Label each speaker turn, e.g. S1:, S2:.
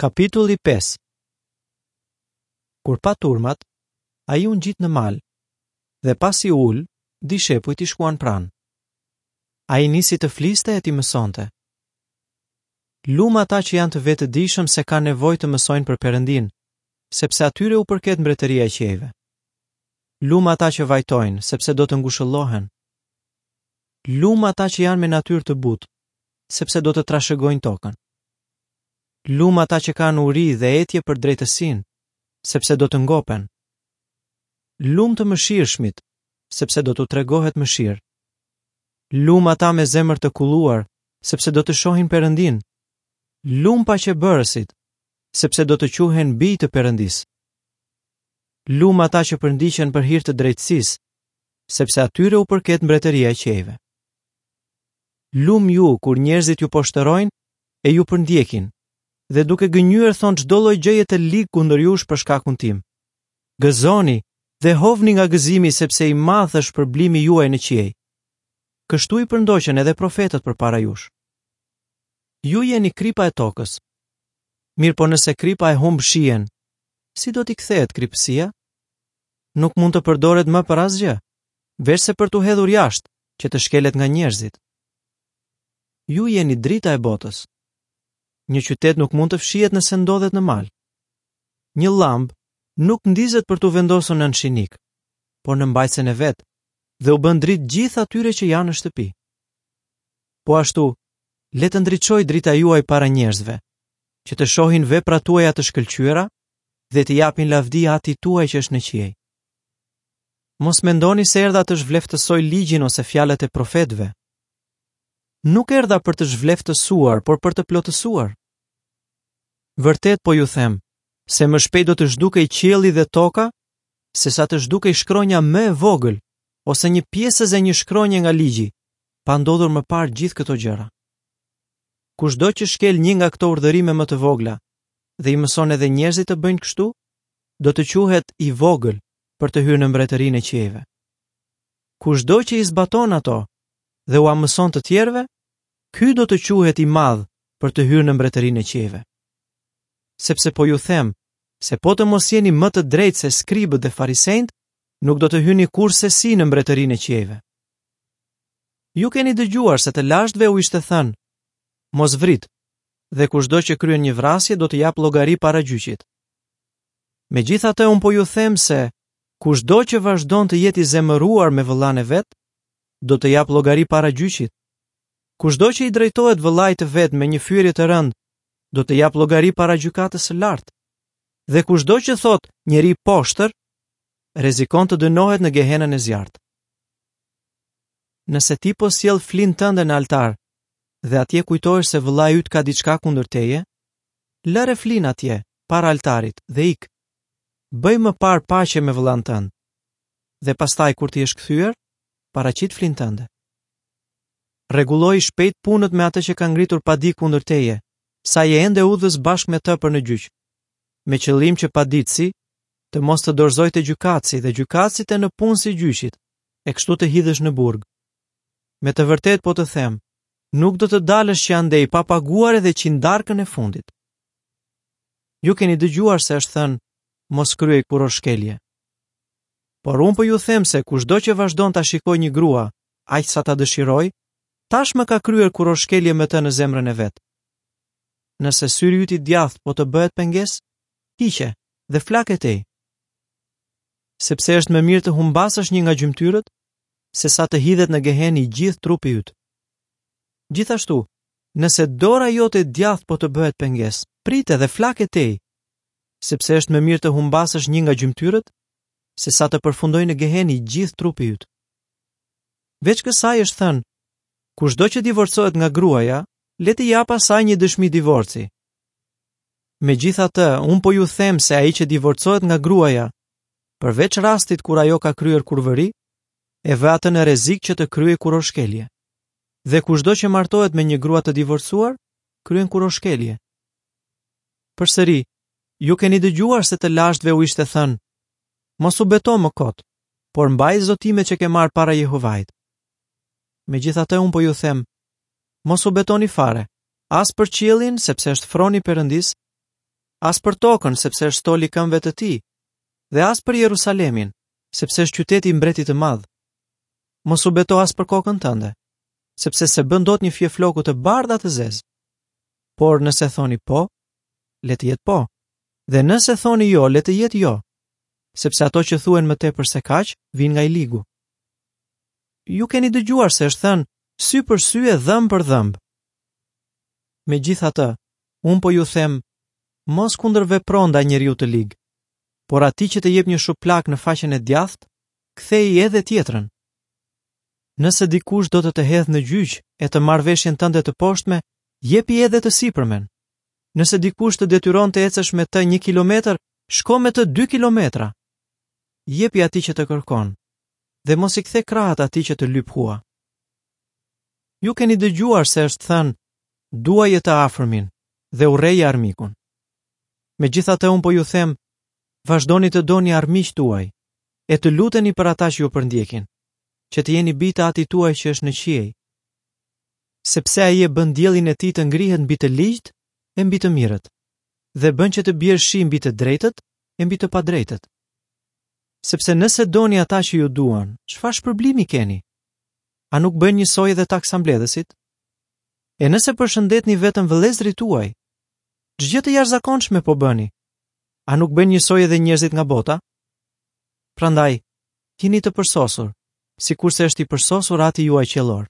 S1: Kapitulli 5 Kur pa turmat, ai u ngjit në mal dhe pasi u ul, dishepujt i shkuan pranë. Ai nisi të fliste e t'i mësonte. Lum ata që janë të vetëdijshëm se kanë nevojë të mësojnë për Perëndinë, sepse atyre u përket mbretëria e qiejve. Lum ata që vajtojnë, sepse do të ngushëllohen. Lum ata që janë me natyrë të butë, sepse do të trashëgojnë tokën. Lum ata që kanë uri dhe etje për drejtësinë, sepse do të ngopen. Lum të mëshirshmit, sepse do t'u tregohet mëshirë. Lum ata me zemër të kulluar, sepse do të shohin Perëndinë. Lum paqebërësit, sepse do të quhen bij të Perëndisë. Lum ata që përndiqen për hir të drejtësisë, sepse atyre u përket mbretëria e qiejve. Lum ju kur njerëzit ju poshtërojnë e ju përndjekin dhe duke gënjyer thonë çdo lloj gjëje të ligë kundër jush për shkakun tim. Gëzoni dhe hovni nga gëzimi sepse i madh është shpërblimi juaj në qiej. Kështu i përndoqën edhe profetët përpara jush. Ju jeni kripa e tokës. Mirëpo nëse kripa e humb shijen, si do t'i kthehet kripësia? Nuk mund të përdoret më për asgjë, veçse për t'u hedhur jashtë, që të shkelet nga njerëzit. Ju jeni drita e botës. Një qytet nuk mund të fshihet nëse ndodhet në mal. Një llambë nuk ndizet për t'u vendosur nën shinik, por në mbajtësen e vet dhe u bën dritë gjithë atyre që janë në shtëpi. Po ashtu, le të ndriçojë drita juaj para njerëzve, që të shohin veprat tuaja të shkëlqyera dhe t'i japin lavdi Atit tuaj që është në qiej. Mos mendoni se erdha të zhvleftësoj ligjin ose fjalët e profetëve. Nuk erdha për të zhvleftësuar, por për të plotësuar. Vërtet po ju them, se më shpejt do të zhdukej qielli dhe toka, sesa të zhdukej shkronja më e vogël ose një pjesëz e një shkronje nga ligji, pa ndodhur më parë gjithë këto gjëra. Kushdo që shkel një nga këto urdhërime më të vogla dhe i mëson edhe njerëzit të bëjnë kështu, do të quhet i vogël për të hyrë në mbretërinë e qiejve. Kushdo që i zbaton ato dhe ua mëson të tjerëve, ky do të quhet i madh për të hyrë në mbretërinë e qiejve. Sepse po ju them se po të mos jeni më të drejtë se skribët dhe farisenjtë, nuk do të hyni kurrsesi në mbretërinë e qiejve. Ju keni dëgjuar se të lashtëve u ishte thënë: Mos vrit, dhe kushdo që kryen një vrasje do të japë llogari para gjyqit. Megjithatë unë po ju them se kushdo që vazhdon të jetë i zemëruar me vëllanë e vet, do të japë llogari para gjyqit. Kushdo që i drejtohet vëllait të vet me një fyerje të rëndë, do të japë llogari para gjykatës së lartë. Dhe kushdo që thotë njeri i poshtër, rrezikon të dënohet në gehenën e zjarrtë. Nëse ti po sjell flinë tënde në altar dhe atje kujtohesh se vëllai yt ka diçka kundër teje, lëre flinë atje, para altarit dhe ik. Bëj më parë paqe me vëllanë tënd. Dhe pastaj kur të jesh kthyer, paraqit flinë tënde. Rregulloji shpejt punët me atë që ka ngritur padi kundër teje, sa je ende udhës bashkë me të për në gjyq, me qëllim që paditësi të mos të dorëzojë te gjykatësi dhe gjykatësi te nëpunësi i gjyqit, e kështu të hidhesh në burg. Me të vërtetë po të them, nuk do të dalësh që andej pa paguar edhe qindarkën e fundit. Ju keni dëgjuar se është thënë, mos kryej kurorëshkelje. Por unë po ju them se kushdo që vazhdon ta shikojë një grua, aq sa ta dëshirojë, tashmë ka kryer kurorëshkelje me të në zemrën e vet. Nëse syri yt i djathtë po të bëhet pengesë, hiqe dhe flake tej. Sepse është më mirë të humbasësh një nga gjymtyrët, sesa të hidhet në gehenë i gjithë trupi yt. Gjithashtu, nëse dora jote e djathtë po të bëhet pengesë, prite dhe flake tej, sepse është më mirë të humbasësh një nga gjymtyrët, sesa të përfundojë në gehenë i gjithë trupi yt. Veç kësaj është thënë, kushdo që divorcohet nga gruaja, le t'i japë asaj një dëshmi divorci. Megjithatë, unë po ju them se ai që divorcohet nga gruaja, përveç rastit kur ajo ka kryer kurvëri, e vë atë në rrezik që të kryejë kurorëshkelje. Dhe kushdo që martohet me një grua të divorcuar, kryen kurorëshkelje. Përsëri, ju keni dëgjuar se të lashtëve u ishte thënë, mos u beto më kot, por mbaj zotimet që ke marrë para Jehovait. Megjithatë unë po ju them, mos u betoni fare, as për qiellin, sepse është froni i Perëndisë, As për tokën, sepse është stol i këmbëve të tij, dhe as për Jerusalemin, sepse është qyteti i mbretit të madh. Mos u beto as për kokën tënde, sepse s'e bën dot një fije floku të bardhë a të zezë. Por nëse thoni po, le të jetë po, dhe nëse thoni jo, le të jetë jo, sepse ato që thuhen më tepër se kaq vijnë nga i ligu. Ju keni dëgjuar se është thënë sy për sy e dhëmb për dhëmb. Megjithatë, unë po ju them, mos kundërvepro ndaj njeriut të lig, por atij që të jep një shuplakë në faqen e djathtë, ktheji edhe tjetrën. Nëse dikush do të të hedhë në gjyq e të marrë veshjen tënde të poshtme, jepi edhe të sipërmen. Nëse dikush të detyron të ecësh me të një kilometër, shko me të dy kilometra. Jepi atij që të kërkon dhe mos i kthe krahët atij që të lyp hua. Ju keni dëgjuar se është thënë, duaje të afërmin dhe urreje armikun. Megjithatë unë po ju them, vazhdoni të doni armiqtë tuaj e të luteni për ata që ju përndjekin, që të jeni bij të Atit tuaj që është në qiej. Sepse ai e bën diellin e tij të ngrihet mbi të ligjtë e mbi të mirët, dhe bën që të bjerë shi mbi të drejtët e mbi të padrejtët. Sepse nëse doni ata që ju duan, çfarë shpërblimi keni? A nuk bëjnë njësoj edhe taksambledhësit? E nëse përshëndetni vetëm vëllezërit tuaj, ç'gjë të jashtëzakonshme po bëni? A nuk bëjnë njësoj edhe njerëzit nga bota? Prandaj, jini të përsosur, sikurse është i përsosur Ati juaj qiellor.